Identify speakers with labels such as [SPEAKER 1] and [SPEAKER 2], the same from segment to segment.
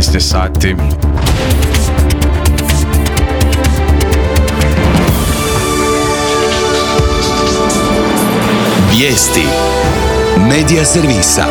[SPEAKER 1] 13 sati.
[SPEAKER 2] Vijesti Medija servisa.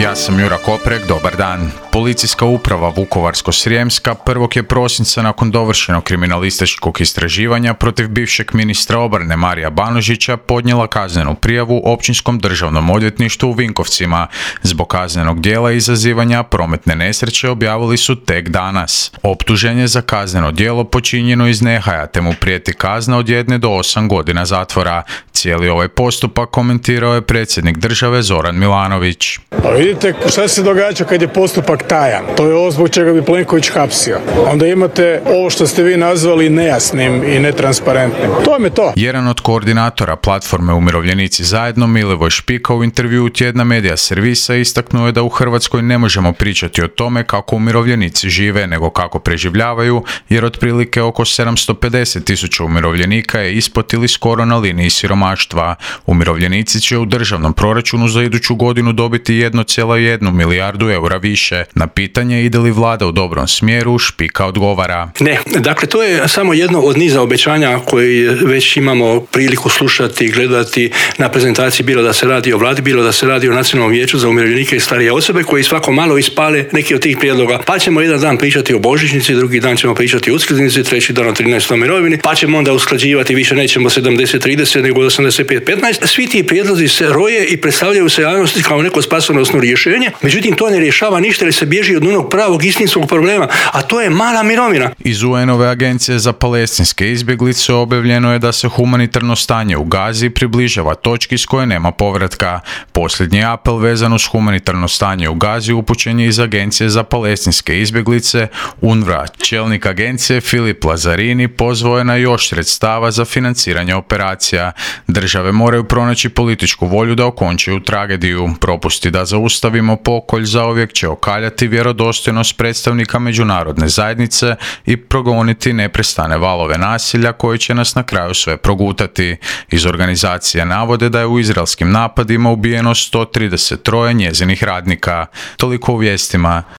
[SPEAKER 1] Ja sam Jura Koprek, dobar dan. Policijska uprava Vukovarsko-srijemska 1. je prosinca nakon dovršenog kriminalističkog istraživanja protiv bivšeg ministra obrane Marija Banožića podnijela kaznenu prijavu Općinskom državnom odvjetništvu u Vinkovcima. Zbog kaznenog djela izazivanja prometne nesreće objavili su tek danas. Optužen je za kazneno djelo počinjeno iz nehaja te mu prijeti kazna od 1 do 8 godina zatvora. Cijeli ovaj postupak komentirao je predsjednik države Zoran Milanović.
[SPEAKER 3] Pa vidite šta se događa kad je postupak tajan. To je ovo zbog čega bi Plenković hapsio. Onda imate ovo što ste vi nazvali nejasnim i netransparentnim. To vam je to.
[SPEAKER 1] Jedan od koordinatora platforme Umirovljenici zajedno, Milivoj Špika, u intervjuu tjedna Medija servisa istaknuo je da u Hrvatskoj ne možemo pričati o tome kako umirovljenici žive, nego kako preživljavaju, jer otprilike oko 750.000 umirovljenika je ispod ili skoro na liniji siromaštva. Umirovljenici će u državnom proračunu za iduću godinu dobiti 1,1 milijardu eura više. Na pitanje ide li vlada u dobrom smjeru, Špika odgovara.
[SPEAKER 4] Ne, dakle to je samo jedno od niza obećanja koje već imamo priliku slušati i gledati na prezentaciji, bilo da se radi o vladi, bilo da se radi o Nacionalnom vijeću za umirovljenike i starije osobe, koji svako malo ispale neki od tih prijedloga. Pa ćemo jedan dan pričati o božićnici, drugi dan ćemo pričati o uskrsnici, treći dan o 13. mirovini, pa ćemo onda usklađivati, više nećemo 70-30 nego 85-15. Svi ti prijedlozi se roje i predstavljaju se javnosti kao neko spasonosno rješenje, međutim to ne rješava ništa jer se bježi od onog pravog istinskog problema, a to je mala mirovina.
[SPEAKER 1] Iz UN-ove agencije za palestinske izbjeglice objavljeno je da se humanitarno stanje u Gazi približava točki s koje nema povratka. Posljednji apel vezan uz humanitarno stanje u Gazi upućen je iz agencije za palestinske izbjeglice UNRWA. Čelnik agencije Filip Lazarini pozvao je na još sredstava za financiranje operacija. Države moraju pronaći političku volju da okončaju tragediju. Propusti da zaustavimo pokolj zauvijek će okaljati vjerodostojnost predstavnika međunarodne zajednice i progoniti neprestane valove nasilja koji će nas na kraju sve progutati. Iz organizacije navode da je u izraelskim napadima ubijeno 133 njezinih radnika. Toliko u vijestima.